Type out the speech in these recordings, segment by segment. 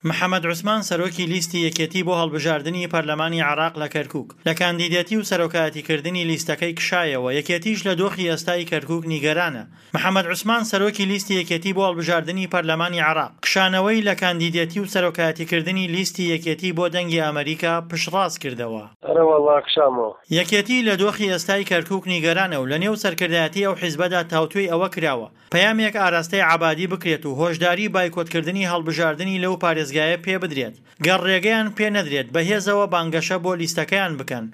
محەمەد عوسمان سەرۆکی لیستی یەکێتی بۆ هەڵبژاردنی پەرلەمانی عێراق لە کەرکوک، لە کاندیدێتی و سەرۆکایەتیکردنی لیستەکەی کشایەوە، یەکێتیش لە دۆخی ئێستای کەرکوک نیگەرانە. محەمەد عوسمان سەرۆکی لیستی یەکێتی بۆ هەڵبژاردنی پەرلەمانی عێراق، کشانەوەی لە کاندیدێتی و سەرۆکایەتیکردنی لیستی یەکێتی بۆ دەنگی ئەمەریکا پشتڕاست کردەوە. ئەرەوەڵا کشامەوە. یەکێتی لە دۆخی ئێستای کەرکوک نیگەرانە و لەنێو سەرکردایەتی ئەو حیزبەدا تاوتوێی ئەوە کراوە پەیامێک ئاراستەی عەبادی بکرێت و هۆشداری بایکۆتکردنی هەڵبژاردنی لەو پارێزگایە پێ بدرێت، گەر ڕێگەیان پێ نەدرێت بە هێزەوە بانگەشە بۆ لیستەکەیان بکەن.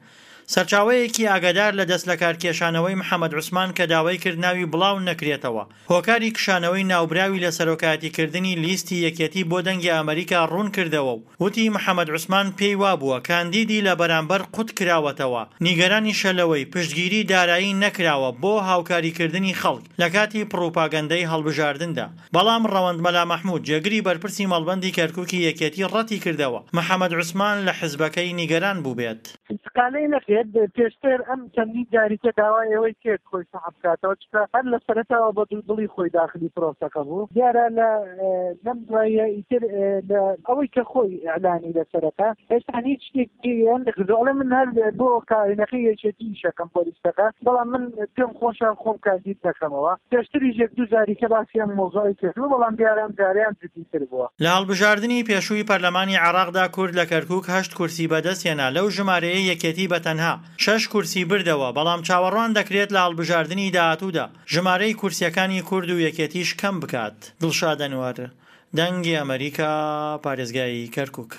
سەرچاوەیەکی ئاگادار لە دەستلەکارکێشانەوەی محەمەد عوسمان کە داوای کرد ناوی بڵاو نەکرێتەوە، هۆکاری کشانەوەی ناوبراوی لە سەرۆکایەتیکردنی لیستی یەکێتی بۆ دەنگی ئەمەریکا ڕوون کردەوە و وتی محەمەد عوسمان پێی وابووە کاندیدی لە بەرامبەر قوت کراوەتەوە، نیگەرانیشە لەوەی پشتگیری دارایی نەکراوە بۆ هاوکاریکردنی خەڵک لە کاتی پڕوپاگەندەی هەڵبژاردندا. بەڵام ڕەوەند مەلا مەحمود جێگری بەرپرسی مەڵبەندی کەرکوکی یەکێتی ڕەتی کردەوە محەمەد عوسمان لە حزبەکەی نیگەران بووبێت. ئینتقالەی نەکرد، پێشتر ئەم چەندین جاریکە داوای ئەوەی کرد خۆی سەحب بکاتەوە، چونکە هەر لە سەرەتاوە بە دوودڵی خۆی داخلی پرۆسەکە بوو، دیارە لە لەم دواییە ئیتر لە ئەوەی کە خۆی ئیعلانی لەسەرەکە هێشتا هیچ شتێک پێیان نەکردووە، ئەڵێ من هەر بۆ کابینەکەی یەکێتی ئیشەکەم بۆ لیستەکە، بەڵام من پێم خۆشە خۆم کاندید نەکەمەوە، پێشتریش یەک دوو جاریکە باسی ئەم مەوزوعەی کردووە، بەڵام دیارە ئەم جارەیان جدیتر بووە. لە هەڵبژاردنی پێشووی پەرلەمانی عێراقدا کورد لە کەرکوک هەشت کورسی بەدەستهێنا، لەو ژمارەیەی یەکێتی بە تەنها شەش کورسی بردەوە، بەڵام چاوەڕوان دەکرێت لە هەڵبژاردنی داهاتوودا ژمارەی کورسییەکانی کورد و یەکێتیش کەم بکات. دڵشاد ئەنوەر، دەنگی ئەمەریکا، پارێزگای کەرکوک.